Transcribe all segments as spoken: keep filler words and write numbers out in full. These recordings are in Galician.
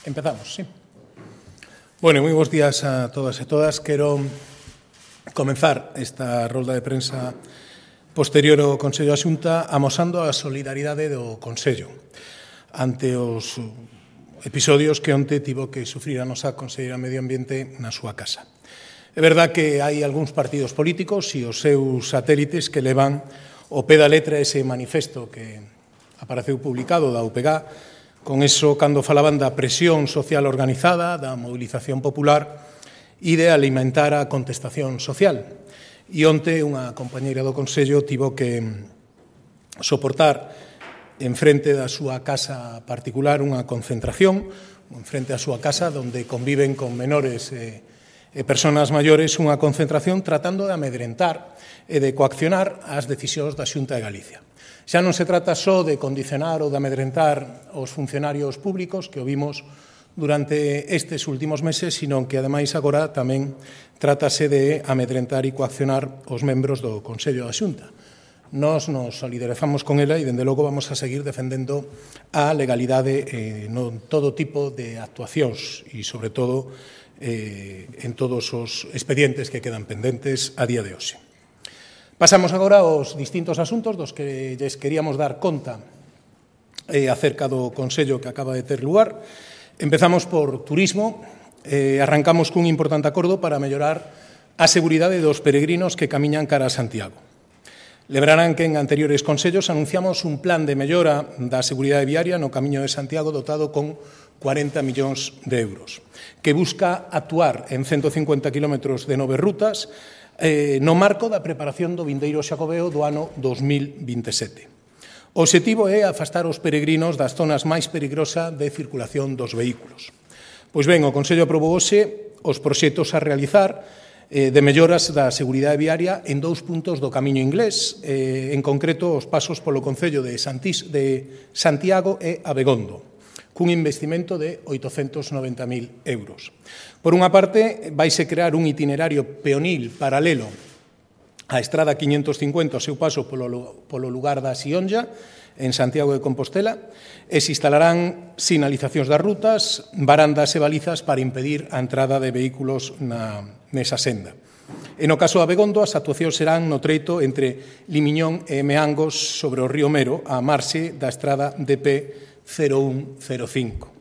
Empezamos, sí. Bueno, moi bons días a todas e todas. Quero comenzar esta rolda de prensa posterior ao Consello da Xunta amosando a solidaridade do Consello ante os episodios que onte tivo que sufrir a nosa Conselleira de Medio Ambiente na súa casa. É verdad que hai algúns partidos políticos e os seus satélites que levan ao pé da letra ese manifesto que apareceu publicado da U P G A. Con eso, cando falaban da presión social organizada, da movilización popular e de alimentar a contestación social. E onte unha compañeira do Consello tivo que soportar en frente da súa casa particular unha concentración, en frente da súa casa onde conviven con menores e, e persoas maiores, unha concentración tratando de amedrentar e de coaccionar as decisións da Xunta de Galicia. Xa non se trata só de condicionar ou de amedrentar os funcionarios públicos que o vimos durante estes últimos meses, sino que, ademais, agora tamén trátase de amedrentar e coaccionar os membros do Consello da Xunta. Nós nos solidarizamos con ela e, dende logo, vamos a seguir defendendo a legalidade eh, no todo tipo de actuacións e, sobre todo, eh, en todos os expedientes que quedan pendentes a día de hoxe. Pasamos agora aos distintos asuntos dos que lles queríamos dar conta eh, acerca do Consello que acaba de ter lugar. Empezamos por turismo. Eh, arrancamos cun importante acordo para mellorar a seguridade dos peregrinos que camiñan cara a Santiago. Lembrarán que en anteriores consellos anunciamos un plan de mellora da seguridade viaria no Camiño de Santiago dotado con cuarenta millóns de euros, que busca actuar en ciento cincuenta kilómetros de nove rutas eh, no marco da preparación do vindeiro Xacobeo do ano dos mil vinte e sete. O obxectivo é afastar os peregrinos das zonas máis peligrosas de circulación dos vehículos. Pois ben, o Consello aprobou hoxe os proxectos a realizar eh, de melloras da seguridade viaria en dous puntos do Camiño Inglés, eh, en concreto os pasos polo Concello de, Santís, de Santiago e Abegondo, cun investimento de oitocentos noventa mil euros. Por unha parte, vaise crear un itinerario peonil paralelo á Estrada quinhentos cincuenta, o seu paso polo, polo lugar da Sionlla, en Santiago de Compostela, e se instalarán sinalizacións das rutas, barandas e balizas para impedir a entrada de vehículos na, nesa senda. E no caso de Abegondo, as actuacións serán no treito entre Limiñón e Meangos sobre o río Mero, a marxe da Estrada D P cero un cero cinco.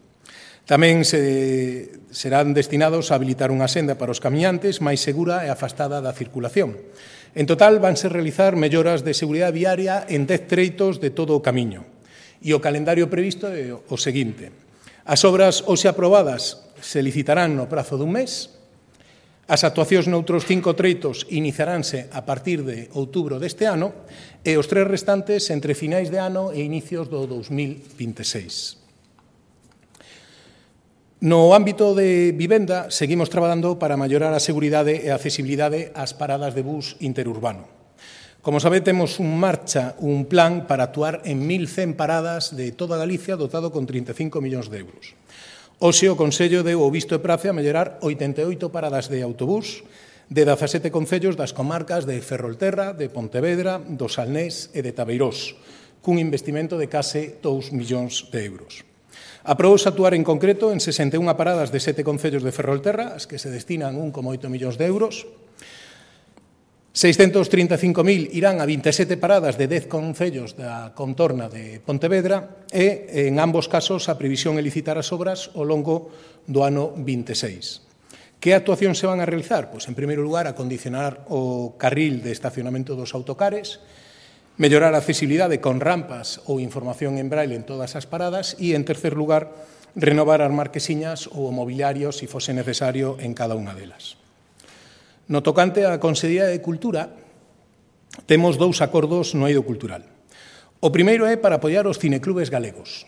Tamén se serán destinados a habilitar unha senda para os camiñantes máis segura e afastada da circulación. En total, vanse realizar melloras de seguridade viaria en dez treitos de todo o camiño. E o calendario previsto é o seguinte. As obras hoxe aprobadas se licitarán no prazo dun mes. As actuacións noutros cinco treitos iniciaránse a partir de outubro deste ano e os tres restantes entre finais de ano e inicios do dos mil vinte e seis. No ámbito de vivenda, seguimos traballando para mellorar a seguridade e a accesibilidade ás paradas de bus interurbano. Como sabe, temos en marcha un plan para actuar en mil cen paradas de toda Galicia dotado con trinta e cinco millóns de euros. Hoxe o Consello deu o visto e prace a mellorar oitenta e oito paradas de autobús de dezasete concellos das comarcas de Ferrolterra, de Pontevedra, do Salnés e de Tabeirós, cun investimento de case dous millóns de euros. Aprobouse actuar en concreto en sesenta e unha paradas de sete concellos de Ferrolterra, as que se destinan un coma oito millóns de euros. seiscentos trinta e cinco mil irán a vinte e sete paradas de dez concellos da contorna de Pontevedra e, en ambos casos, a previsión é licitar as obras ao longo do ano vinte e seis. Que actuacións se van a realizar? Pois, en primeiro lugar, acondicionar o carril de estacionamento dos autocares, mellorar a accesibilidade con rampas ou información en braille en todas as paradas e, en tercer lugar, renovar as marquesiñas ou o mobiliario, se fose necesario, en cada unha delas. No tocante á Consellería de Cultura, temos dous acordos no eido cultural. O primeiro é para apoiar os cineclubes galegos,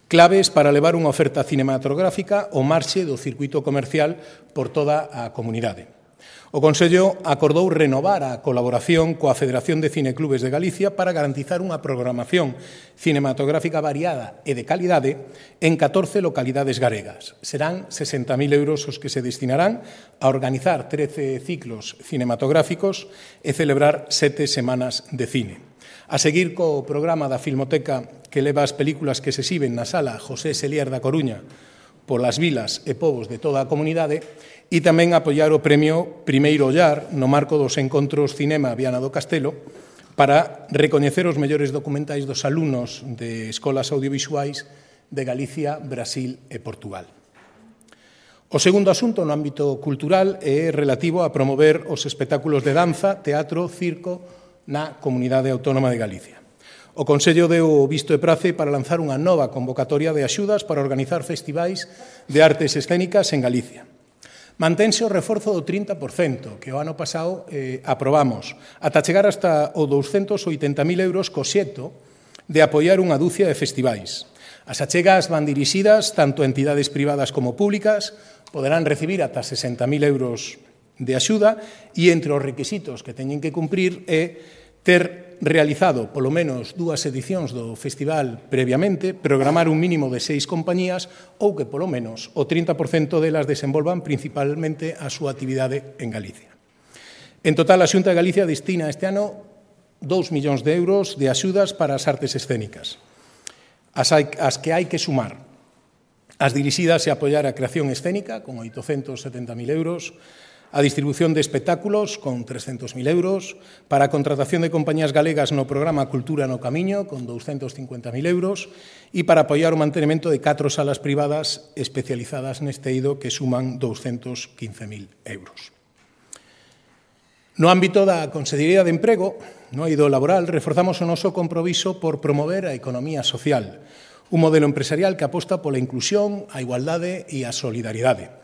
claves para levar unha oferta cinematográfica ao marxe do circuito comercial por toda a comunidade. O Consello acordou renovar a colaboración coa Federación de Cineclubes de Galicia para garantizar unha programación cinematográfica variada e de calidade en catorce localidades galegas. Serán sesenta mil euros os que se destinarán a organizar trece ciclos cinematográficos e celebrar sete semanas de cine. A seguir co programa da Filmoteca que leva as películas que se exhiben na sala José Selier da Coruña polas vilas e povos de toda a comunidade e tamén apoiar o premio Primeiro Ollar no marco dos encontros Cinema Viana do Castelo para recoñecer os mellores documentais dos alumnos de escolas audiovisuais de Galicia, Brasil e Portugal. O segundo asunto no ámbito cultural é relativo a promover os espectáculos de danza, teatro, circo na Comunidade Autónoma de Galicia. O Consello deu o visto e prace para lanzar unha nova convocatoria de axudas para organizar festivais de artes escénicas en Galicia. Mantense o reforzo do trinta por cento, que o ano pasado eh, aprobamos, ata chegar hasta o douscentos oitenta mil euros co xeto de apoiar unha dúcia de festivais. As achegas van dirixidas tanto a entidades privadas como públicas, poderán recibir ata sesenta mil euros de axuda e entre os requisitos que teñen que cumprir é ter realizado polo menos dúas edicións do festival previamente, programar un mínimo de seis compañías ou que polo menos o trinta por cento delas desenvolvan principalmente a súa actividade en Galicia. En total, a Xunta de Galicia destina este ano dous millóns de euros de axudas para as artes escénicas, as, hai, as que hai que sumar. As dirixidas a apoiar a creación escénica, con oitocentos setenta mil euros, a distribución de espectáculos, con trescentos mil euros, para a contratación de compañías galegas no programa Cultura no Camiño, con douscentos cincuenta mil euros, e para apoiar o mantenimento de catro salas privadas especializadas neste eido que suman douscentos quince mil euros. No ámbito da Consellería de Emprego, no eido laboral, reforzamos o noso compromiso por promover a economía social, un modelo empresarial que aposta pola inclusión, a igualdade e a solidaridade.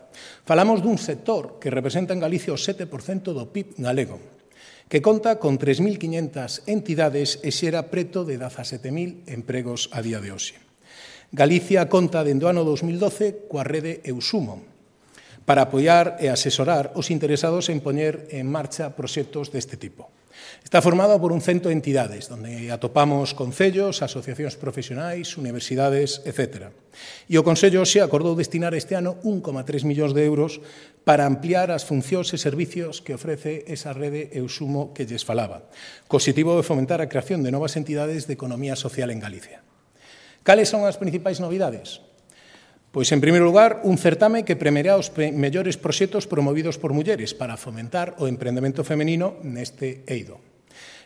Falamos dun sector que representa en Galicia o sete por cento do P I B galego, que conta con tres mil quinhentas entidades e xera preto de dezasete mil empregos a día de hoxe. Galicia conta dende o ano dos mil doce coa rede Eusumo para apoiar e asesorar os interesados en poñer en marcha proxectos deste tipo. Está formado por un cento de entidades, onde atopamos concellos, asociacións profesionais, universidades, etcétera. E o Consello xe acordou destinar este ano un coma tres millóns de euros para ampliar as funcións e servicios que ofrece esa rede Eusumo que lles falaba, co obxectivo de fomentar a creación de novas entidades de economía social en Galicia. Cales son as principais novidades? Pois, en primeiro lugar, un certame que premiará os mellores proxectos promovidos por mulleres para fomentar o emprendemento femenino neste eido.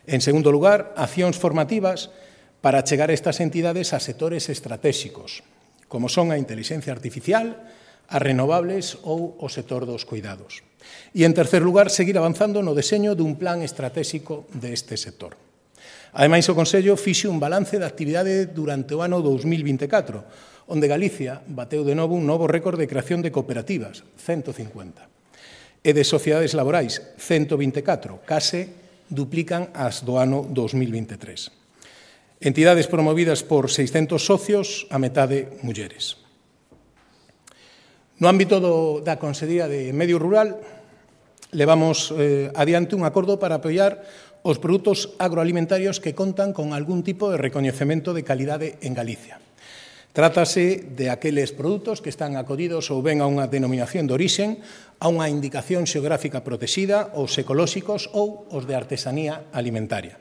En segundo lugar, accións formativas para chegar a estas entidades a sectores estratégicos, como son a inteligencia artificial, as renovables ou o sector dos cuidados. E, en tercer lugar, seguir avanzando no deseño dun plan estratégico deste sector. Ademais, o Consello fixe un balance da actividade durante o ano dous mil vinte e catro, onde Galicia bateu de novo un novo récord de creación de cooperativas, ciento cincuenta, e de sociedades laborais, ciento vinte e catro, case duplican as do ano dous mil vinte e tres. Entidades promovidas por seiscentos socios, a metade mulleres. No ámbito do, da Consellería de Medio Rural, levamos eh, adiante un acordo para apoiar os produtos agroalimentarios que contan con algún tipo de recoñecemento de calidade en Galicia. Trátase de aqueles produtos que están acodidos ou ben a unha denominación de orixen, a unha indicación xeográfica protexida, os ecolóxicos ou os de artesanía alimentaria.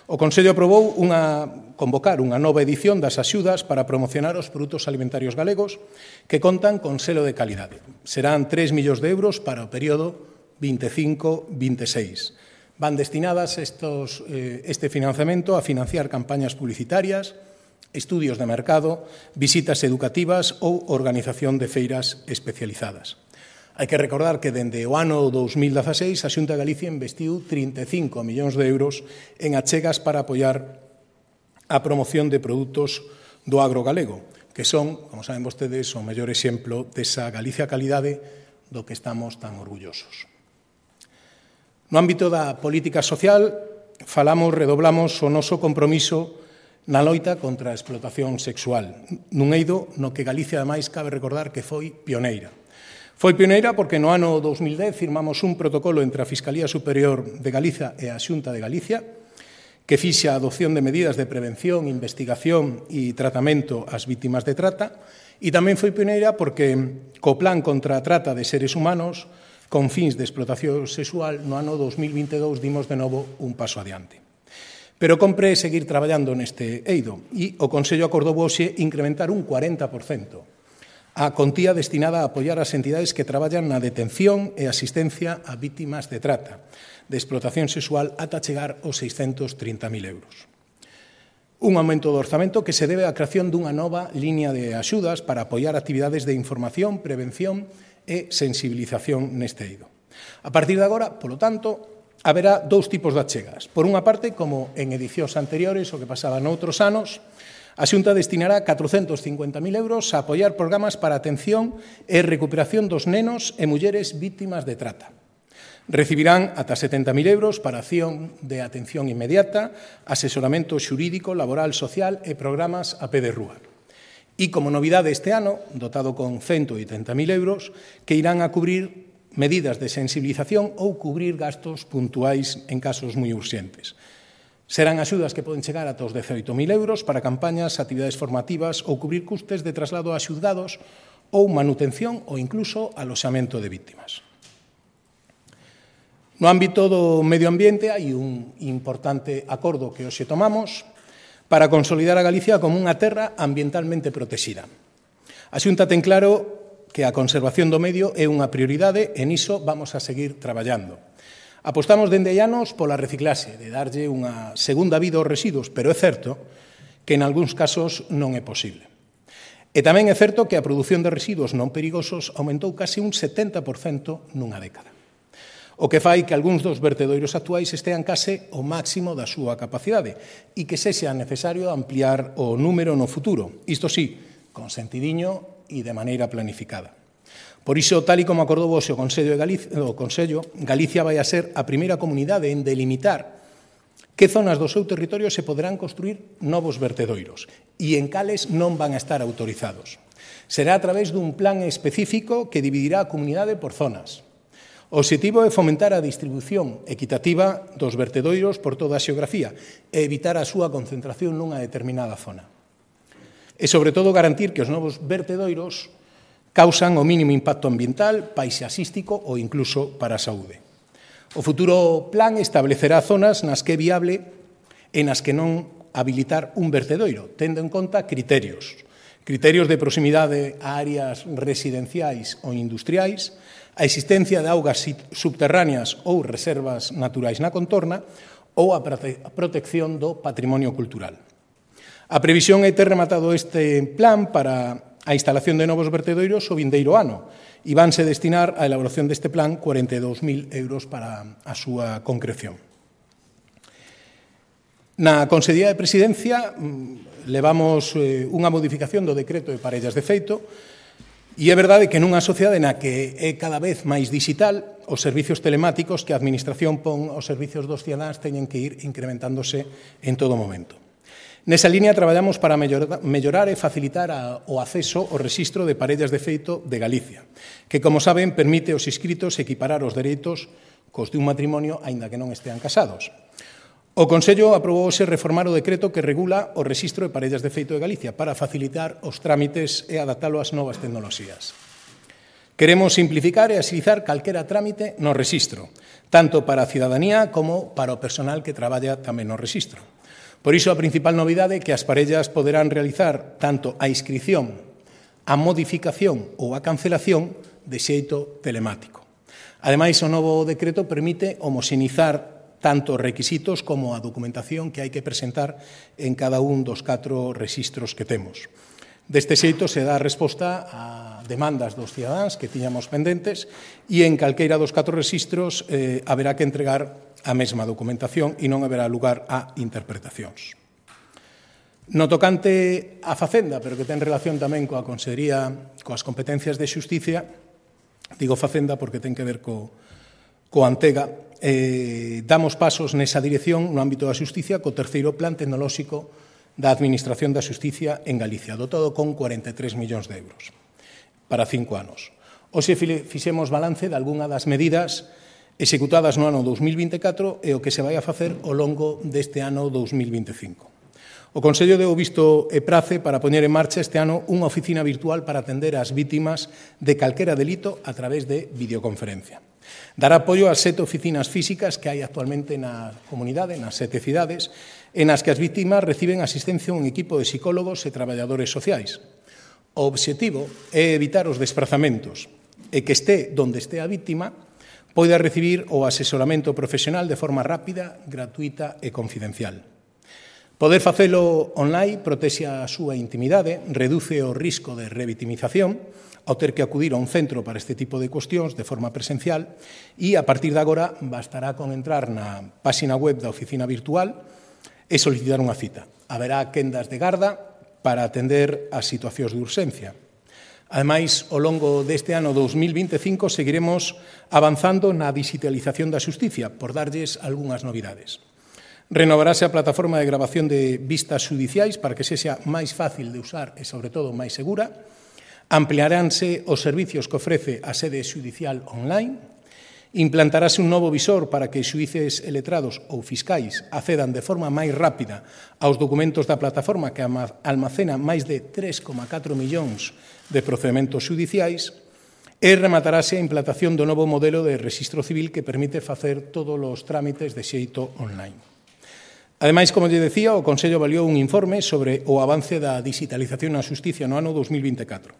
O Consello aprobou unha, convocar unha nova edición das axudas para promocionar os produtos alimentarios galegos que contan con selo de calidade. Serán tres millóns de euros para o período vinte e cinco vinte e seis. Van destinadas estos, eh, este financiamento a financiar campañas publicitarias, estudios de mercado, visitas educativas ou organización de feiras especializadas. Hai que recordar que dende o ano dous mil dezaseis a Xunta de Galicia investiu trinta e cinco millóns de euros en achegas para apoiar a promoción de produtos do agro galego, que son, como saben vostedes, o mellor exemplo desa Galicia calidade do que estamos tan orgullosos. No ámbito da política social, falamos, redoblamos o noso compromiso na loita contra a explotación sexual, nun eido no que Galicia, ademais, cabe recordar que foi pioneira. Foi pioneira porque no ano dous mil dez firmamos un protocolo entre a Fiscalía Superior de Galiza e a Xunta de Galicia que fixa a adopción de medidas de prevención, investigación e tratamento ás vítimas de trata e tamén foi pioneira porque co Plan contra a Trata de Seres Humanos con fins de explotación sexual no ano dous mil vinte e dous dimos de novo un paso adiante. Pero compre seguir traballando neste eido e o Consello acordou hoxe incrementar un cuarenta por cento a contía destinada a apoiar as entidades que traballan na detención e asistencia a vítimas de trata, de explotación sexual, ata chegar aos seiscentos trinta mil euros. Un aumento do orzamento que se debe á creación dunha nova liña de axudas para apoiar actividades de información, prevención e sensibilización neste eido. A partir de agora, polo tanto, haberá dous tipos de achegas. Por unha parte, como en edicións anteriores, o que pasaba noutros anos, a Xunta destinará catrocentos cincuenta mil euros a apoiar programas para a atención e recuperación dos nenos e mulleres vítimas de trata. Recibirán ata setenta mil euros para acción de atención inmediata, asesoramento xurídico, laboral, social e programas a pé de rúa. E como novidade este ano, dotado con ciento oitenta mil euros, que irán a cubrir medidas de sensibilización ou cubrir gastos puntuais en casos moi urxentes. Serán axudas que poden chegar ata os dezaoito mil euros para campañas, actividades formativas ou cubrir custes de traslado a xuzgados ou manutención ou incluso aloxamento de vítimas. No ámbito do medio ambiente hai un importante acordo que hoxe tomamos para consolidar a Galicia como unha terra ambientalmente protexida. A Xunta ten claro que a conservación do medio é unha prioridade e niso vamos a seguir traballando. Apostamos dende hai anos pola reciclaxe, de darlle unha segunda vida aos residuos, pero é certo que en algúns casos non é posible. E tamén é certo que a produción de residuos non perigosos aumentou case un setenta por cento nunha década. O que fai que algúns dos vertedoiros actuais estean case ao máximo da súa capacidade e que sexa necesario ampliar o número no futuro, isto sí, con sentidiño e de maneira planificada. Por iso, tal e como acordou o Consello, de Galicia, o Consello, Galicia vai a ser a primeira comunidade en delimitar que zonas do seu territorio se poderán construir novos vertedoiros e en cales non van a estar autorizados. Será a través dun plan específico que dividirá a comunidade por zonas. O obxectivo é fomentar a distribución equitativa dos vertedoiros por toda a xeografía e evitar a súa concentración nunha determinada zona. E, sobre todo, garantir que os novos vertedoiros causan o mínimo impacto ambiental, paisaxístico ou incluso para a saúde. O futuro plan establecerá zonas nas que é viable e nas que non habilitar un vertedoiro, tendo en conta criterios. Criterios de proximidade a áreas residenciais ou industriais, a existencia de augas subterráneas ou reservas naturais na contorna ou a protección do patrimonio cultural. A previsión é ter rematado este plan para a instalación de novos vertedoiros o vindeiro ano e vanse destinar á elaboración deste plan cuarenta e dous mil euros para a súa concreción. Na Consellería de Presidencia levamos unha modificación do decreto de parellas de feito e é verdade que nunha sociedade na que é cada vez máis digital, os servicios telemáticos que a Administración pon aos servicios dos cidadáns teñen que ir incrementándose en todo momento. Nesa línea traballamos para mellorar e facilitar o acceso ao rexistro de parellas de feito de Galicia, que, como saben, permite aos inscritos equiparar os dereitos cos de un matrimonio, aínda que non estean casados. O Consello aprobouse reformar o decreto que regula o rexistro de parellas de feito de Galicia para facilitar os trámites e adaptalo ás novas tecnoloxías. Queremos simplificar e axilizar calquera trámite no rexistro, tanto para a cidadanía como para o personal que traballa tamén no rexistro. Por iso, a principal novidade é que as parellas poderán realizar tanto a inscrición, a modificación ou a cancelación de xeito telemático. Ademais, o novo decreto permite homoxenizar tanto os requisitos como a documentación que hai que presentar en cada un dos catro rexistros que temos. Deste xeito se dá resposta a demandas dos cidadáns que tiñamos pendentes e en calqueira dos catro rexistros eh, haberá que entregar a mesma documentación e non haberá lugar a interpretacións. No tocante á Facenda, pero que ten relación tamén coa Consellería, coas competencias de Xusticia, digo Facenda porque ten que ver co, co Antega, eh, damos pasos nesa dirección no ámbito da Xusticia co terceiro plan tecnolóxico da Administración da Xusticia en Galicia, dotado con cuarenta e tres millóns de euros para cinco anos. Hoxe fixemos balance de algunha das medidas executadas no ano dous mil vinte e catro e o que se vai a facer ao longo deste ano dous mil vinte e cinco. O Consello deu visto e prace para poñer en marcha este ano unha oficina virtual para atender ás vítimas de calquera delito a través de videoconferencia. Dará apoio ás sete oficinas físicas que hai actualmente na comunidade, nas sete cidades, en as que as vítimas reciben asistencia un equipo de psicólogos e traballadores sociais. O obxectivo é evitar os desprazamentos e que este donde este a vítima poida recibir o asesoramento profesional de forma rápida, gratuita e confidencial. Poder facelo online protexe a súa intimidade, reduce o risco de revitimización ao ter que acudir a un centro para este tipo de cuestións de forma presencial e, a partir de agora, bastará con entrar na páxina web da oficina virtual e solicitar unha cita. Haberá quendas de garda para atender as situacións de urxencia. Ademais, ao longo deste ano dous mil vinte e cinco seguiremos avanzando na digitalización da xusticia, por darlles algunhas novidades. Renovarase a plataforma de grabación de vistas judiciais para que sexa máis fácil de usar e, sobre todo, máis segura. Ampliaránse os servicios que ofrece a sede xudicial online. Implantarase un novo visor para que xuíces e letrados ou fiscais accedan de forma máis rápida aos documentos da plataforma que almacena máis de tres coma catro millóns de procedementos xudiciais. E rematarase a implantación do novo modelo de rexistro civil que permite facer todos os trámites de xeito online. Ademais, como lle decía, o Consello avaliou un informe sobre o avance da digitalización na xusticia no ano dos mil vinte e catro.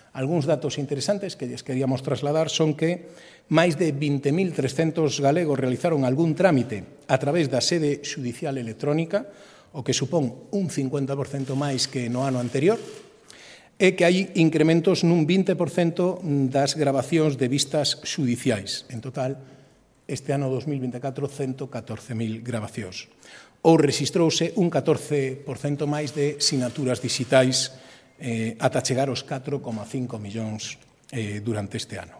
Algúns datos interesantes que lles queríamos trasladar son que máis de vinte mil trescentos galegos realizaron algún trámite a través da sede xudicial electrónica, o que supón un cincuenta por cento máis que no ano anterior, e que hai incrementos nun vinte por cento das grabacións de vistas xudiciais. En total, este ano dos mil vinte e catro, ciento catorce mil grabacións. Ou rexistrouse un catorce por cento máis de sinaturas digitais eh, ata chegar aos catro coma cinco millóns eh, durante este ano.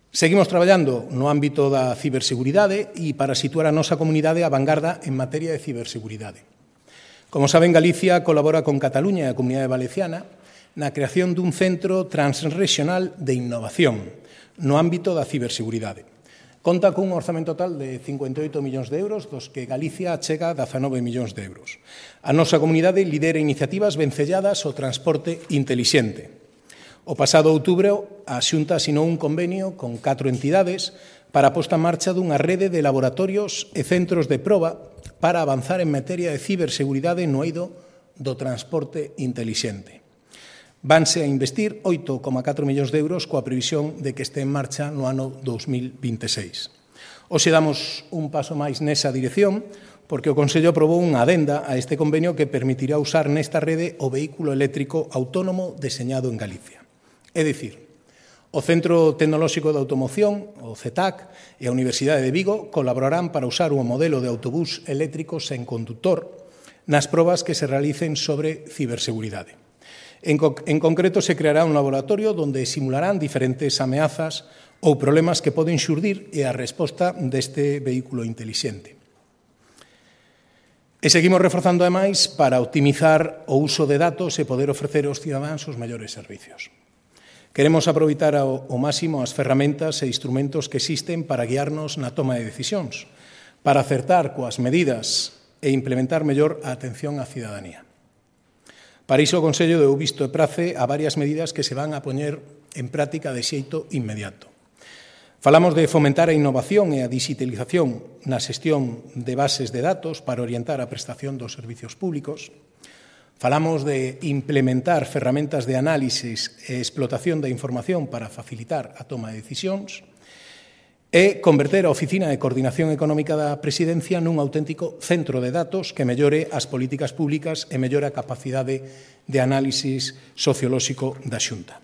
Seguimos traballando no ámbito da ciberseguridade e para situar a nosa comunidade a vanguarda en materia de ciberseguridade. Como saben, Galicia colabora con Cataluña e a Comunidade Valenciana na creación dun centro transregional de innovación no ámbito da ciberseguridade. Conta cun orzamento total de cincuenta e oito millóns de euros, dos que Galicia achega dezanove millóns de euros. A nosa comunidade lidera iniciativas vencelladas ao transporte intelixente. O pasado outubro, a Xunta asinou un convenio con catro entidades para a posta en marcha dunha rede de laboratorios e centros de proba para avanzar en materia de ciberseguridade no eido do transporte intelixente. Vanse a investir oito coma catro millóns de euros coa previsión de que este en marcha no ano dos mil vinte e seis. Hoxe damos un paso máis nesa dirección porque o Consello aprobou unha adenda a este convenio que permitirá usar nesta rede o vehículo eléctrico autónomo deseñado en Galicia. É dicir, o Centro Tecnolóxico de Automoción, o C E T A C, e a Universidade de Vigo colaborarán para usar un modelo de autobús eléctrico sen conductor nas probas que se realicen sobre ciberseguridade. En, co en concreto, se creará un laboratorio onde simularán diferentes ameazas ou problemas que poden xurdir e a resposta deste vehículo intelixente. E seguimos reforzando, ademais, para optimizar o uso de datos e poder ofrecer aos cidadáns os mellores servicios. Queremos aproveitar ao, ao máximo as ferramentas e instrumentos que existen para guiarnos na toma de decisións, para acertar coas medidas e implementar mellor a atención á cidadanía. Para iso, o Consello deu visto e prace a varias medidas que se van a poñer en práctica de xeito inmediato. Falamos de fomentar a innovación e a digitalización na xestión de bases de datos para orientar a prestación dos servicios públicos. Falamos de implementar ferramentas de análisis e explotación da información para facilitar a toma de decisións e converter a Oficina de Coordinación Económica da Presidencia nun auténtico centro de datos que mellore as políticas públicas e mellore a capacidade de análisis sociolóxico da Xunta.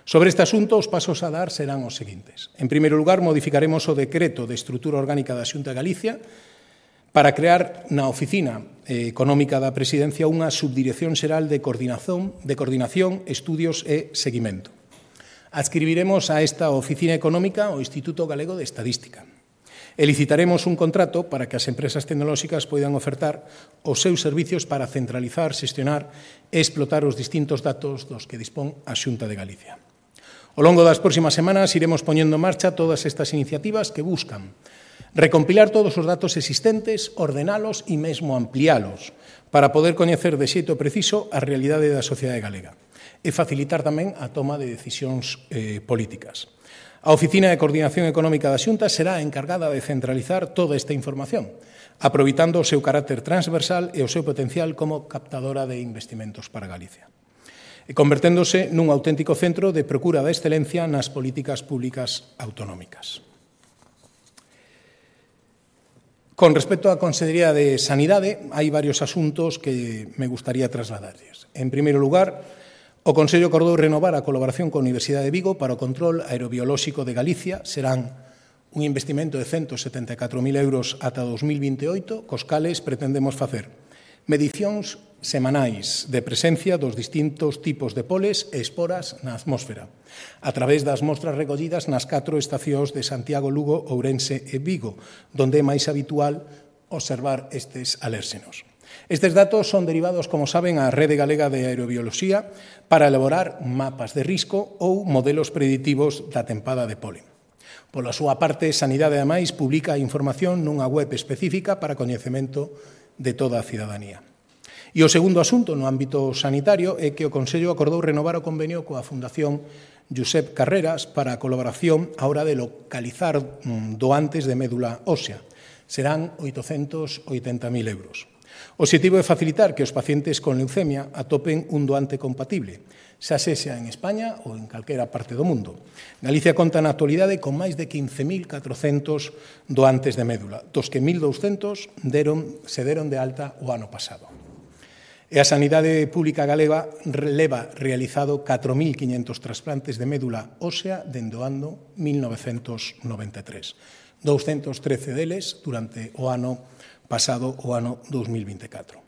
Sobre este asunto, os pasos a dar serán os seguintes. En primeiro lugar, modificaremos o decreto de estrutura orgánica da Xunta de Galicia para crear na Oficina Económica da Presidencia unha subdirección xeral de coordinación, de coordinación, estudios e seguimento. Adscribiremos a esta oficina económica o Instituto Galego de Estadística. E licitaremos un contrato para que as empresas tecnolóxicas poidan ofertar os seus servicios para centralizar, xestionar e explotar os distintos datos dos que dispón a Xunta de Galicia. Ao longo das próximas semanas iremos poñendo en marcha todas estas iniciativas que buscan recompilar todos os datos existentes, ordenalos e mesmo ampliálos para poder coñecer de xeito preciso a realidade da sociedade galega e facilitar tamén a toma de decisións eh, políticas. A Oficina de Coordinación Económica da Xunta será a encargada de centralizar toda esta información, aproveitando o seu carácter transversal e o seu potencial como captadora de investimentos para Galicia, e converténdose nun auténtico centro de procura da excelencia nas políticas públicas autonómicas. Con respecto á Consellería de Sanidade, hai varios asuntos que me gustaría trasladarles. En primeiro lugar, o Consello acordou renovar a colaboración coa Universidade de Vigo para o control aerobiolóxico de Galicia. Serán un investimento de ciento setenta e catro mil euros ata dos mil vinte e oito, cos cales pretendemos facer medicións semanais de presencia dos distintos tipos de poles e esporas na atmósfera, a través das mostras recollidas nas catro estacións de Santiago, Lugo, Ourense e Vigo, donde é máis habitual observar estes alérxenos. Estes datos son derivados, como saben, á Rede Galega de Aerobioloxía para elaborar mapas de risco ou modelos preditivos da tempada de polen. Pola súa parte, Sanidade, ademais, publica a información nunha web específica para coñecemento de toda a cidadanía. E o segundo asunto no ámbito sanitario é que o Consello acordou renovar o convenio coa Fundación Josep Carreras para a colaboración á hora de localizar doantes de médula ósea. Serán oitocentos oitenta mil euros. O obxectivo é facilitar que os pacientes con leucemia atopen un doante compatible, xa sexa en España ou en calquera parte do mundo. Galicia conta na actualidade con máis de quince mil catrocentos doantes de médula, dos que mil douscentos deron, se deron de alta o ano pasado. E a Sanidade Pública Galega leva realizado catro mil quiñentos trasplantes de médula ósea dende o ano mil novecentos noventa e tres. doscientos trece deles durante o ano pasado, o ano dos mil vinte e catro.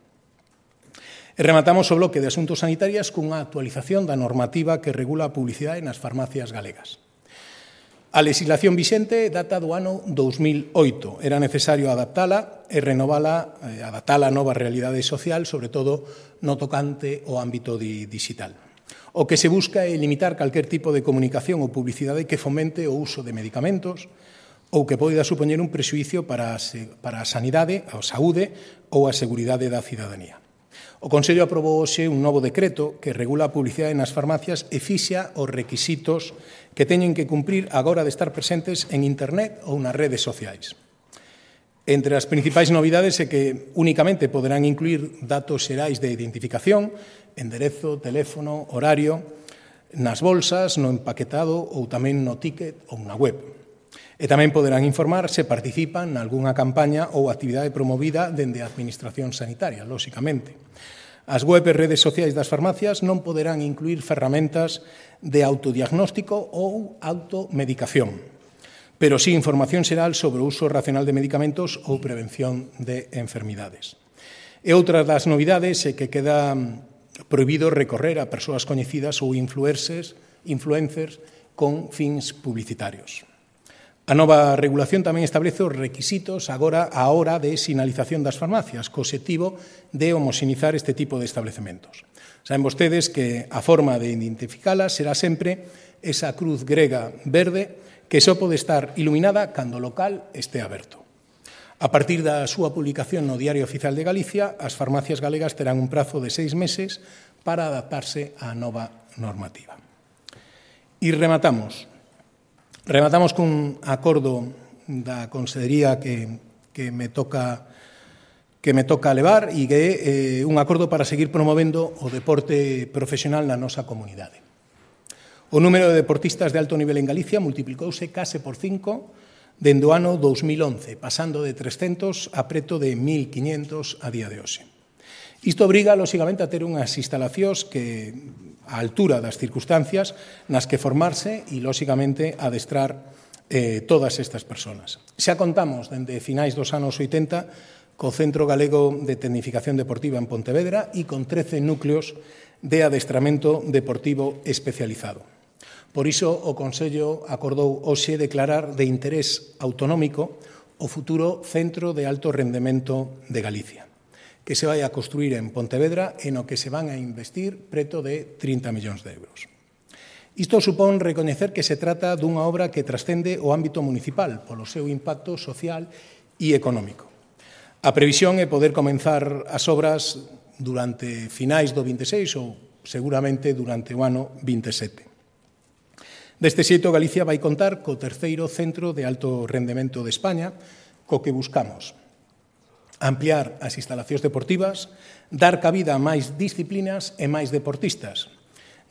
E rematamos o bloque de asuntos sanitarias cunha actualización da normativa que regula a publicidade nas farmacias galegas. A legislación vixente data do ano dos mil oito. Era necesario adaptala e renovala, eh, adaptala a nova realidade social, sobre todo no tocante ao ámbito digital. O que se busca é limitar calquer tipo de comunicación ou publicidade que fomente o uso de medicamentos ou que poida supoñer un prexuízo para a, para a sanidade, a saúde ou a seguridade da cidadanía. O Consello aprobou hoxe un novo decreto que regula a publicidade nas farmacias e fixa os requisitos que teñen que cumprir agora de estar presentes en Internet ou nas redes sociais. Entre as principais novidades é que únicamente poderán incluir datos xerais de identificación, enderezo, teléfono, horario, nas bolsas, no empaquetado ou tamén no ticket ou na web. E tamén poderán informar se participan nalgúnha campaña ou actividade promovida dende a Administración Sanitaria, lóxicamente. As web e redes sociais das farmacias non poderán incluir ferramentas de autodiagnóstico ou automedicación, pero sí información xeral sobre o uso racional de medicamentos ou prevención de enfermidades. E outra das novidades é que queda prohibido recorrer a persoas coñecidas ou influencers, influencers con fins publicitarios. A nova regulación tamén establece os requisitos agora á hora de sinalización das farmacias, co obxectivo de homoxenizar este tipo de establecementos. Saben vostedes que a forma de identificalas será sempre esa cruz grega verde que só pode estar iluminada cando o local este aberto. A partir da súa publicación no Diario Oficial de Galicia, as farmacias galegas terán un prazo de seis meses para adaptarse á nova normativa. E rematamos. Rematamos cun acordo da Consellería que, que, me toca, que me toca levar e que é eh, un acordo para seguir promovendo o deporte profesional na nosa comunidade. O número de deportistas de alto nivel en Galicia multiplicouse case por cinco dende o ano dos mil once, pasando de trescentos a preto de mil quiñentos a día de hoxe. Isto obriga, lóxicamente, a ter unhas instalacións que, á altura das circunstancias nas que formarse e, lóxicamente, adestrar eh, todas estas persoas. Xa contamos, dende finais dos anos oitenta, co Centro Galego de Tecnificación Deportiva en Pontevedra e con trece núcleos de adestramento deportivo especializado. Por iso, o Consello acordou hoxe declarar de interés autonómico o futuro Centro de Alto Rendemento de Galicia, que se vai a construir en Pontevedra e no que se van a investir preto de trinta millóns de euros. Isto supón recoñecer que se trata dunha obra que trascende o ámbito municipal polo seu impacto social e económico. A previsión é poder comenzar as obras durante finais do vinte e seis ou seguramente durante o ano vinte e sete. Deste xeito, Galicia vai contar co terceiro centro de alto rendemento de España, co que buscamos ampliar as instalacións deportivas, dar cabida a máis disciplinas e máis deportistas,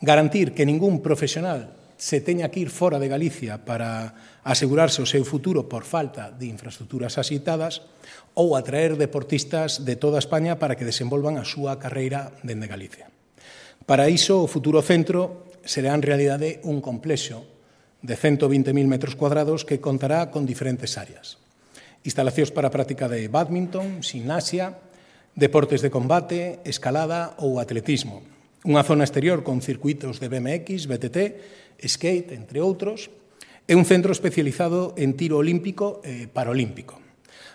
garantir que ningún profesional se teña que ir fora de Galicia para asegurarse o seu futuro por falta de infraestructuras asitadas ou atraer deportistas de toda España para que desenvolvan a súa carreira dende Galicia. Para iso, o futuro centro será en realidade un complexo de ciento vinte mil metros cuadrados que contará con diferentes áreas. Instalacións para a práctica de bádminton, gimnasia, deportes de combate, escalada ou atletismo. Unha zona exterior con circuitos de B M X, B T T, skate, entre outros, e un centro especializado en tiro olímpico e paralímpico.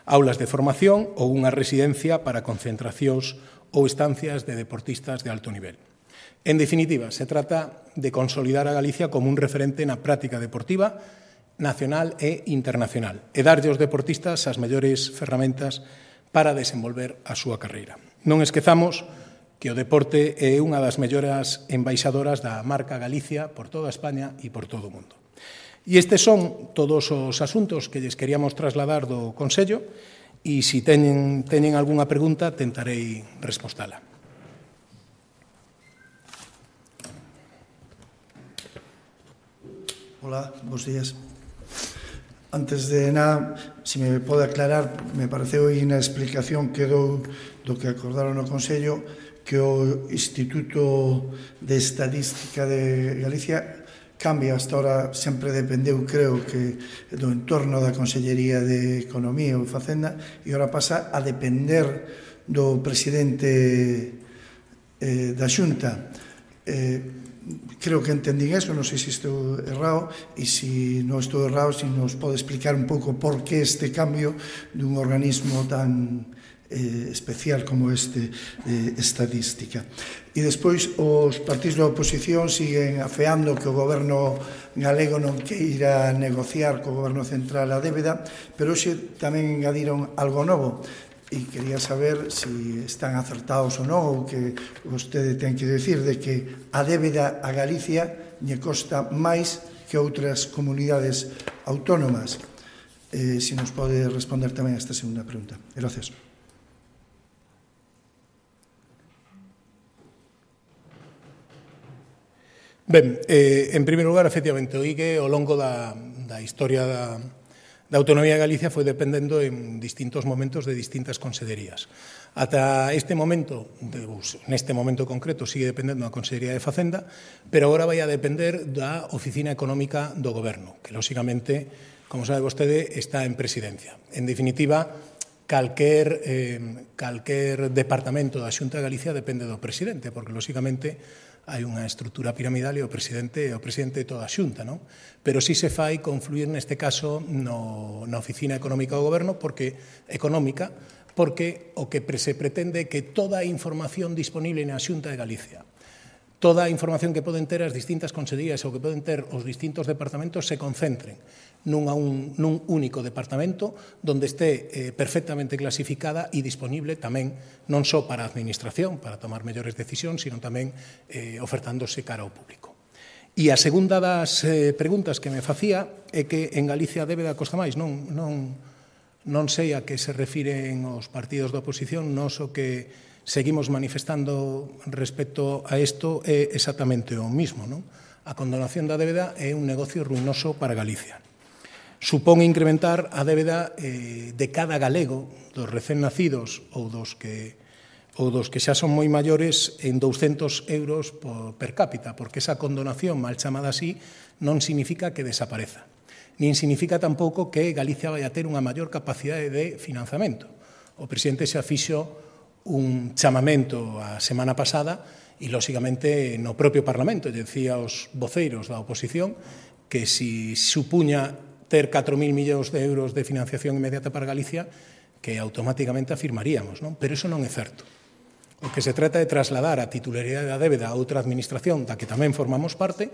Aulas de formación ou unha residencia para concentracións ou estancias de deportistas de alto nivel. En definitiva, se trata de consolidar a Galicia como un referente na práctica deportiva nacional e internacional e darlle aos deportistas as mellores ferramentas para desenvolver a súa carreira. Non esquezamos que o deporte é unha das melloras embaixadoras da marca Galicia por toda España e por todo o mundo. E estes son todos os asuntos que lles queríamos trasladar do Consello e se teñen, teñen algunha pregunta tentarei respostala. Hola, bons días. Antes de nada, se me pode aclarar, me pareceu aí na explicación que dou do que acordaron no Consello que o Instituto de Estadística de Galicia cambia, hasta ahora sempre dependeu, creo, que do entorno da Consellería de Economía ou Facenda e agora pasa a depender do presidente eh, da Xunta. Eh, Creo que entendín eso, non sei se estou errado e se non estou errado, se nos pode explicar un pouco por que este cambio dun organismo tan eh, especial como este de estadística. E despois os partidos da oposición siguen afeando que o goberno galego non queira negociar co goberno central a débeda, pero hoxe tamén engadiron algo novo. E quería saber se están acertados ou non, ou que vostede ten que decir de que a débeda a Galicia lle costa máis que outras comunidades autónomas. Eh, se nos pode responder tamén a esta segunda pregunta. Gracias. Ben, eh, en primeiro lugar, efectivamente, o I G E ao longo da, da historia da da Autonomía de Galicia foi dependendo en distintos momentos de distintas consellerías. Ata este momento, neste momento concreto, sigue dependendo da Consellería de Facenda, pero agora vai a depender da Oficina Económica do Goberno, que, lóxicamente, como sabe vostede, está en presidencia. En definitiva, calquer, eh, calquer departamento da Xunta de Galicia depende do presidente, porque, lóxicamente, hai unha estrutura piramidal e o presidente é o presidente de toda a Xunta, non? Pero si se fai confluir neste caso no, na Oficina Económica do Goberno, porque económica, porque o que se pretende é que toda a información disponible na Xunta de Galicia, toda a información que poden ter as distintas consellerías ou que poden ter os distintos departamentos se concentren nun, un, nun único departamento donde este eh, perfectamente clasificada e disponible tamén non só para a administración, para tomar mellores decisións, sino tamén eh, ofertándose cara ao público. E a segunda das eh, preguntas que me facía é que en Galicia a débeda costa máis. Non, non, non sei a que se refiren os partidos da oposición, nos o que seguimos manifestando respecto a isto é exactamente o mismo, non? A condonación da débeda é un negocio ruinoso para Galicia. Supón incrementar a débeda eh, de cada galego, dos recén nacidos ou dos que ou dos que xa son moi maiores en douscentos euros por, per cápita, porque esa condonación, mal chamada así, non significa que desapareza. Nin significa tampouco que Galicia vai a ter unha maior capacidade de financiamento. O presidente xa fixo un chamamento a semana pasada e, lóxicamente, no propio Parlamento, decía aos voceiros da oposición que si supuña ter catro mil millóns de euros de financiación inmediata para Galicia, que automáticamente afirmaríamos, non? Pero iso non é certo. O que se trata é trasladar a titularidade da débeda a outra administración da que tamén formamos parte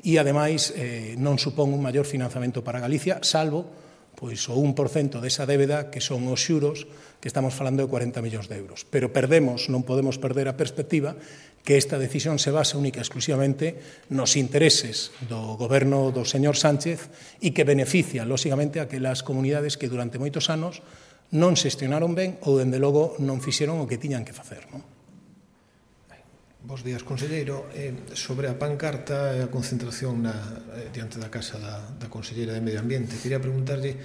e, ademais, eh, non supón un maior financiamento para Galicia, salvo pois, o un por cento desa débeda que son os xuros, que estamos falando de cuarenta millóns de euros. Pero perdemos, non podemos perder a perspectiva que esta decisión se basa única e exclusivamente nos intereses do goberno do señor Sánchez e que beneficia, lóxicamente, a aquelas comunidades que durante moitos anos non xestionaron ben ou, dende logo, non fixeron o que tiñan que facer, non? Bos días, conselleiro. Eh, sobre a pancarta e a concentración na, eh, diante da casa da, da conselleira de Medio Ambiente, quería preguntarlle,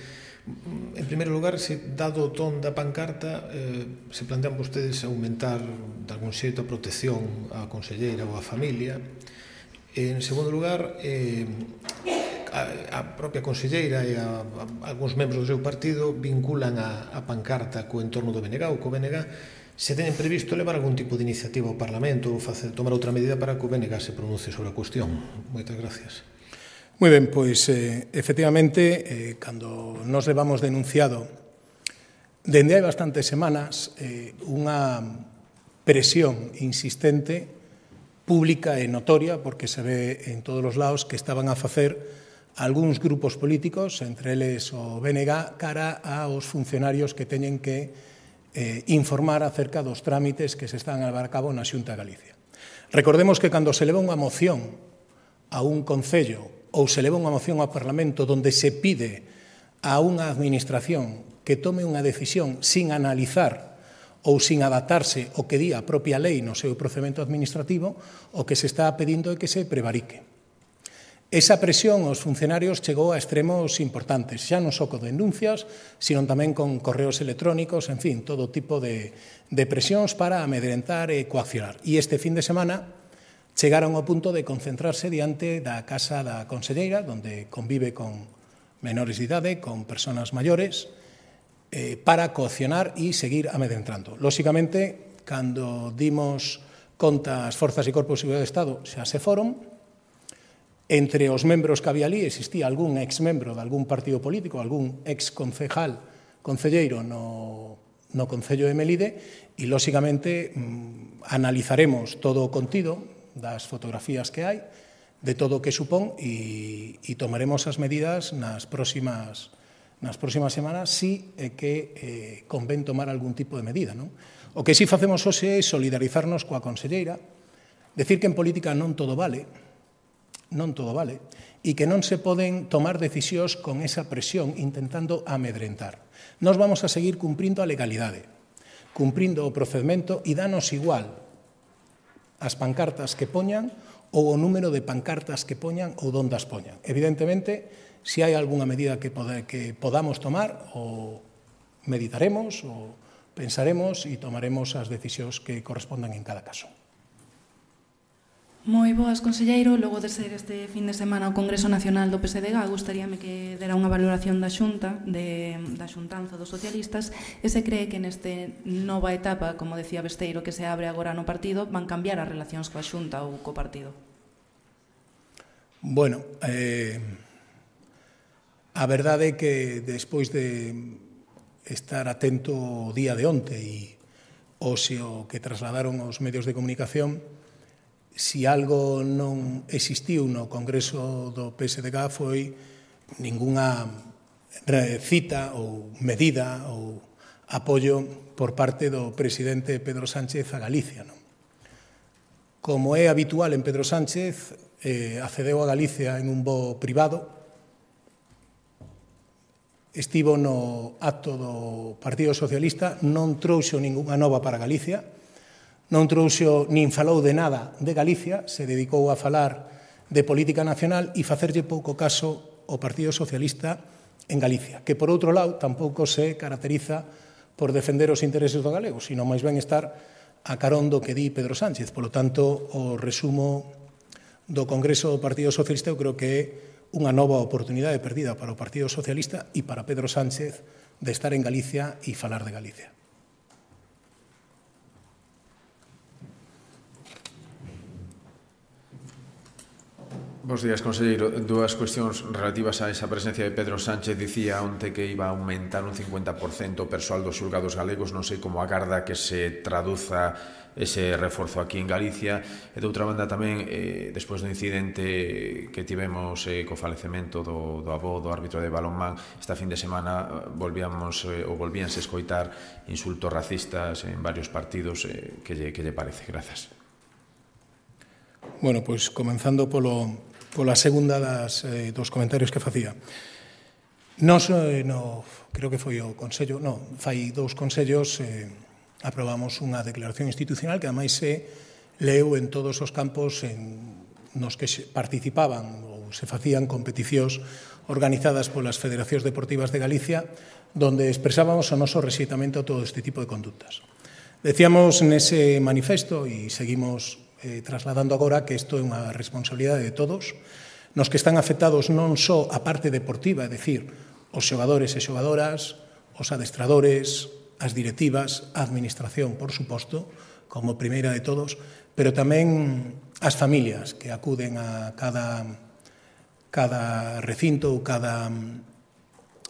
en primeiro lugar, se, dado o ton da pancarta, eh, se plantean vostedes aumentar de algún xeito a protección á conselleira ou á familia. En segundo lugar, eh, a, a propia conselleira e a, a, algúns membros do seu partido vinculan a, a pancarta co entorno do B N G ou co B N G. Se teñen previsto levar algún tipo de iniciativa ao Parlamento ou facer, tomar outra medida para que o B N G se pronuncie sobre a cuestión. Moitas gracias. Moi ben, pois, eh, efectivamente, eh, cando nos levamos denunciado dende hai bastantes semanas eh, unha presión insistente, pública e notoria, porque se ve en todos os lados que estaban a facer algúns grupos políticos, entre eles o B N G, cara aos funcionarios que teñen que Eh, informar acerca dos trámites que se están a levar a cabo na Xunta de Galicia. Recordemos que cando se leva unha moción a un concello ou se leva unha moción ao Parlamento onde se pide a unha administración que tome unha decisión sin analizar ou sin adaptarse ao que di a propia lei no seu procedimento administrativo, o que se está pedindo é que se prevarique. Esa presión aos funcionarios chegou a extremos importantes, xa non só con denuncias, sino tamén con correos electrónicos, en fin, todo tipo de, de presións para amedrentar e coaccionar. E este fin de semana chegaron ao punto de concentrarse diante da casa da conselleira, onde convive con menores de idade, con persoas maiores, eh, para coaccionar e seguir amedrentando. Lóxicamente, cando dimos conta as forzas e corpos de seguridade do Estado, xa se foron. Entre os membros que había ali existía algún ex-membro de algún partido político, algún ex-concejal, concelleiro no, no Concello de Melide, e, lóxicamente, mmm, analizaremos todo o contido das fotografías que hai, de todo o que supón, e, e tomaremos as medidas nas próximas, nas próximas semanas, si é que eh, convén tomar algún tipo de medida, non? O que si facemos hoxe é solidarizarnos coa conselleira, decir que en política non todo vale, non todo vale, e que non se poden tomar decisións con esa presión intentando amedrentar. Nós vamos a seguir cumprindo a legalidade, cumprindo o procedimento, e danos igual as pancartas que poñan ou o número de pancartas que poñan ou donde as poñan. Evidentemente, se hai algunha medida que, pode, que podamos tomar, o meditaremos, ou pensaremos e tomaremos as decisións que correspondan en cada caso. Moi boas, conselleiro. Logo de ser este fin de semana o Congreso Nacional do P S D G, gustaríame que dera unha valoración da Xunta, de, da xuntanza dos socialistas, e se cree que neste nova etapa, como decía Besteiro, que se abre agora no partido, van cambiar as relacións coa Xunta ou co partido? Bueno, eh, a verdade é que despois de estar atento o día de onte e oxio que trasladaron os medios de comunicación, si algo non existiu no Congreso do P S D G foi ningunha cita ou medida ou apoio por parte do presidente Pedro Sánchez a Galicia. Non? Como é habitual en Pedro Sánchez, eh, accedeu a Galicia en un voo privado, estivo no acto do Partido Socialista, non trouxo ningunha nova para Galicia, non trouxo nin falou de nada de Galicia, se dedicou a falar de política nacional e facerlle pouco caso ao Partido Socialista en Galicia, que, por outro lado, tampouco se caracteriza por defender os intereses do galego, sino máis ben estar a carón do que di Pedro Sánchez. Por lo tanto, o resumo do Congreso do Partido Socialista eu creo que é unha nova oportunidade perdida para o Partido Socialista e para Pedro Sánchez de estar en Galicia e falar de Galicia. Bos días, conselleiro. Dúas cuestións relativas a esa presencia de Pedro Sánchez. Dicía onte que iba a aumentar un cincuenta por cento o persoal dos xulgados galegos. Non sei como agarda que se traduza ese reforzo aquí en Galicia. E, de outra banda, tamén, eh, despois do incidente que tivemos eh, co falecemento do, do avó do árbitro de balonmán, esta fin de semana volvíamos eh, ou volvíanse escoitar insultos racistas en varios partidos. Eh, que, lle, que lle parece? Grazas. Bueno, pois comenzando polo, pola segunda das, eh, dos comentarios que facía. Nos, eh, no, creo que foi o Consello, non, fai dous consellos, eh, aprobamos unha declaración institucional que ademais se leu en todos os campos en, nos que participaban ou se facían competicións organizadas polas Federacións Deportivas de Galicia, donde expresábamos o noso rexeitamento a todo este tipo de conductas. Decíamos nese manifesto, e seguimos eh, trasladando agora, que isto é unha responsabilidade de todos, nos que están afectados non só a parte deportiva, é dicir, os xogadores e xogadoras, os adestradores, as directivas, a administración, por suposto, como primeira de todos, pero tamén as familias que acuden a cada, cada recinto ou cada,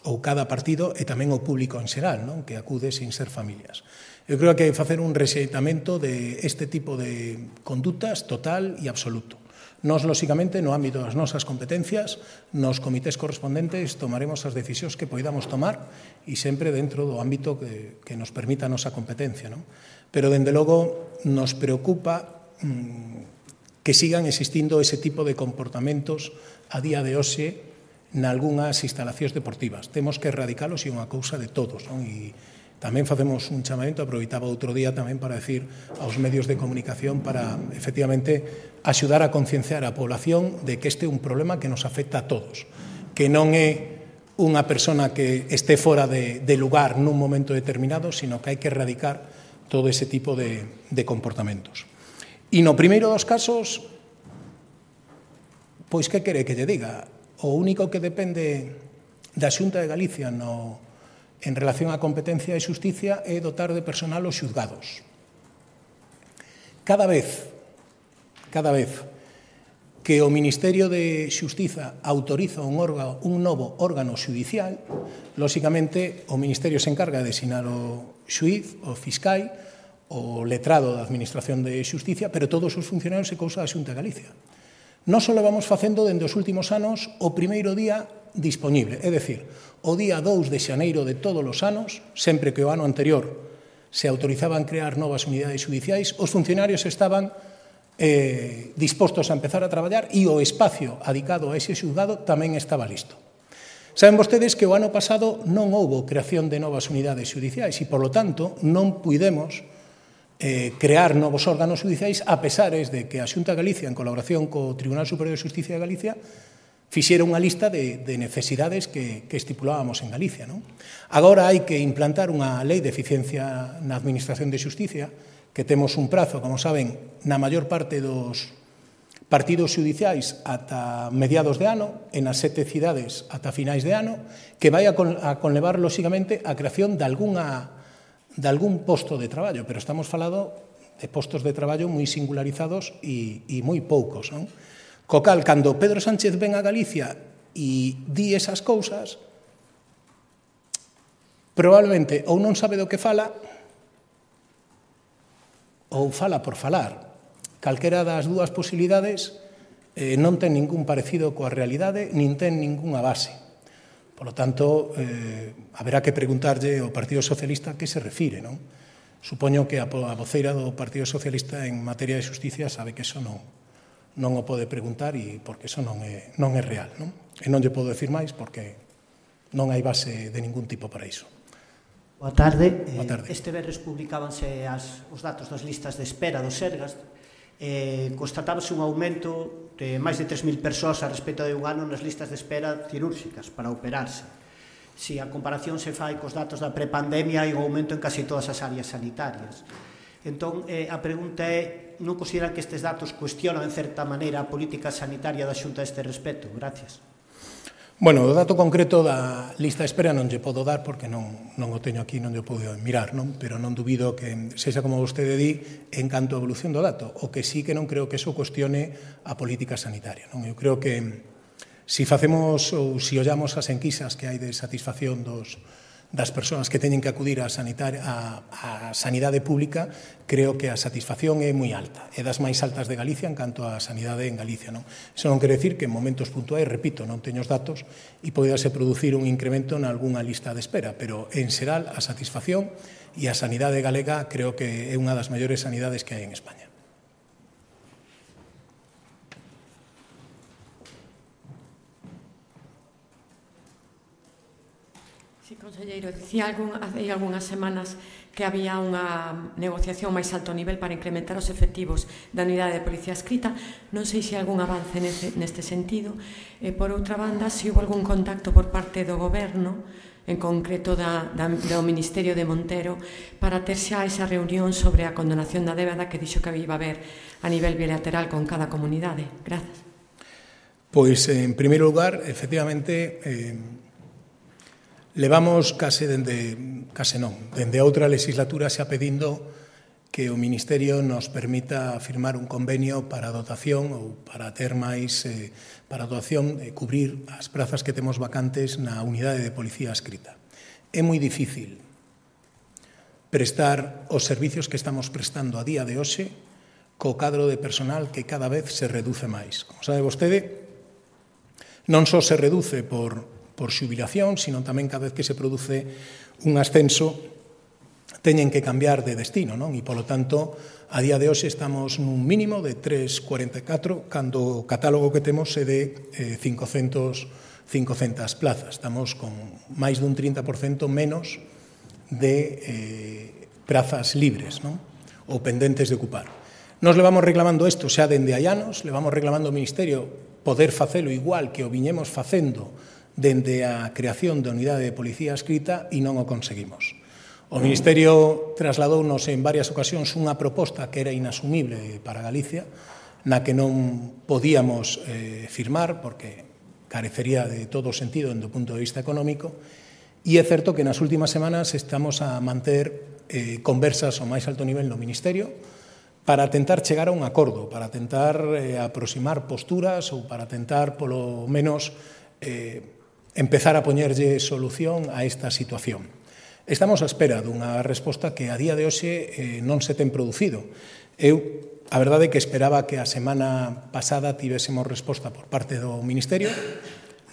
ou cada partido e tamén o público en xeral, non? Que acude sin ser familias. Eu creo que hai que facer un rexeitamento de este tipo de conductas total e absoluto. Nos, lóxicamente, no ámbito das nosas competencias, nos comités correspondentes tomaremos as decisións que poidamos tomar e sempre dentro do ámbito que, que nos permita a nosa competencia, non? Pero, dende logo, nos preocupa mmm, que sigan existindo ese tipo de comportamentos a día de hoxe nalgúnas instalacións deportivas. Temos que erradicalos e unha cousa de todos, non? E tamén facemos un chamamento, aproveitaba outro día tamén para decir aos medios de comunicación para, efectivamente, axudar a concienciar a población de que este é un problema que nos afecta a todos, que non é unha persona que este fora de, de lugar nun momento determinado, sino que hai que erradicar todo ese tipo de, de comportamentos. E no primeiro dos casos, pois que quere que lle diga? O único que depende da Xunta de Galicia no en relación á competencia de xusticia é dotar de personal os xuzgados. Cada vez, cada vez que o Ministerio de Xustiza autoriza un, órgano, un novo órgano xudicial, lóxicamente o Ministerio se encarga de designar o xuíz, o fiscal, o letrado da Administración de Xusticia, pero todos os funcionarios é cousa da Xunta de Galicia. Non só vamos facendo dende os últimos anos o primeiro día dispoñible, é dicir, o día dous de xaneiro de todos os anos, sempre que o ano anterior se autorizaban crear novas unidades judiciais, os funcionarios estaban eh, dispostos a empezar a traballar e o espacio adicado a ese xulgado tamén estaba listo. Saben vostedes que o ano pasado non houbo creación de novas unidades judiciais e, por lo tanto, non puidemos eh, crear novos órganos judiciais a pesares de que a Xunta de Galicia, en colaboración co Tribunal Superior de Xusticia de Galicia, fixera unha lista de, de necesidades que, que estipulábamos en Galicia. Non? Agora hai que implantar unha lei de eficiencia na Administración de Xusticia, que temos un prazo, como saben, na maior parte dos partidos judiciais ata mediados de ano, en as sete cidades ata finais de ano, que vai a, con, a conlevar, lóxicamente, a creación de, alguna, de algún posto de traballo, pero estamos falando de postos de traballo moi singularizados e, e moi poucos, non? Co cal, cando Pedro Sánchez ven a Galicia e di esas cousas, probablemente ou non sabe do que fala ou fala por falar. Calquera das dúas posibilidades eh, non ten ningún parecido coa realidade, nin ten ningunha base. Por lo tanto, eh, haberá que preguntarlle ao Partido Socialista que se refire, non? Supoño que a voceira do Partido Socialista en materia de xusticia sabe que eso non, non o pode preguntar e porque eso non é, non é real, non? E non lle podo decir máis porque non hai base de ningún tipo para iso. Boa tarde. Boa tarde. Este venres publicábanse as, os datos das listas de espera do Sergas. Eh, constatábase un aumento de máis de tres mil persoas a respecto de un ano nas listas de espera cirúrxicas para operarse. Si a comparación se fai cos datos da prepandemia, hai un aumento en casi todas as áreas sanitarias. Entón, eh, a pregunta é, non consideran que estes datos cuestionan en certa maneira a política sanitaria da Xunta a este respecto? Gracias. Bueno, o dato concreto da lista de espera non lle podo dar porque non, non o teño aquí, non lle podo mirar, non? Pero non dubido que sexa como vostede di en canto a evolución do dato. O que sí que non creo que eso cuestione a política sanitaria, non? Eu creo que si facemos ou si ollamos as enquisas que hai de satisfacción dos das persoas que teñen que acudir á a, a sanidade pública, creo que a satisfacción é moi alta. É das máis altas de Galicia en canto á sanidade en Galicia. Non? Iso non quere decir que en momentos puntuais, repito, non teño os datos e podase producir un incremento en algunha lista de espera, pero en xeral a satisfacción e a sanidade galega creo que é unha das maiores sanidades que hai en España. Sí, conselleiro, dicía algún, hai algunhas semanas que había unha negociación máis alto nivel para incrementar os efectivos da unidade de policía adscrita. Non sei se hai algún avance neste, neste sentido. E, por outra banda, se houve algún contacto por parte do Goberno, en concreto da, da, do Ministerio de Montero, para ter xa esa reunión sobre a condonación da débeda que dixo que iba a haber a nivel bilateral con cada comunidade. Grazas. Pois, en primeiro lugar, efectivamente, eh, levamos case dende, case non, dende outra legislatura xa pedindo que o Ministerio nos permita firmar un convenio para a dotación ou para ter máis, eh, para a dotación, eh, cubrir as prazas que temos vacantes na unidade de policía adscrita. É moi difícil prestar os servicios que estamos prestando a día de hoxe co cadro de personal que cada vez se reduce máis. Como sabe vostede, non só se reduce por por xubilación, sino tamén cada vez que se produce un ascenso teñen que cambiar de destino, non? E, polo tanto, a día de hoxe estamos nun mínimo de tres vírgula cuarenta e catro, cando o catálogo que temos é de eh, cincocentas plazas. Estamos con máis dun trinta por cento menos de eh, prazas libres, non? Ou pendentes de ocupar. Nos levamos reclamando isto xa dende hai anos, levamos reclamando ao Ministerio poder facelo igual que o viñemos facendo dende a creación da unidade de policía adscrita e non o conseguimos. O Ministerio trasladounos en varias ocasións unha proposta que era inasumible para Galicia, na que non podíamos eh, firmar porque carecería de todo o sentido do punto de vista económico, e é certo que nas últimas semanas estamos a manter eh, conversas ao máis alto nivel no Ministerio para tentar chegar a un acordo, para tentar eh, aproximar posturas ou para tentar, polo menos, eh, empezar a poñerlle solución a esta situación. Estamos á espera dunha resposta que a día de hoxe eh, non se ten producido. Eu, a verdade é que esperaba que a semana pasada tivésemos resposta por parte do Ministerio.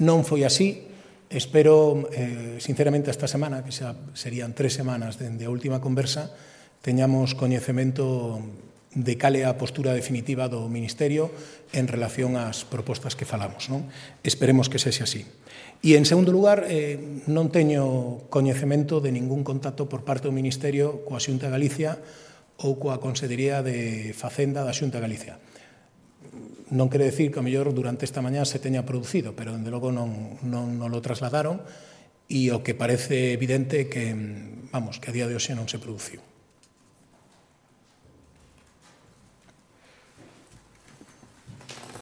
Non foi así. Espero, eh, sinceramente, esta semana, que xa serían tres semanas dende a última conversa, teñamos coñecemento de cal é a postura definitiva do Ministerio en relación ás propostas que falamos, non? Esperemos que sexa así. E, en segundo lugar, eh, non teño coñecemento de ningún contacto por parte do Ministerio coa Xunta de Galicia ou coa Consellería de Facenda da Xunta de Galicia. Non quere decir que, a mellor, durante esta mañá se teña producido, pero, dende logo, non, non, non lo trasladaron, e o que parece evidente que, vamos, que a día de hoxe non se produciu.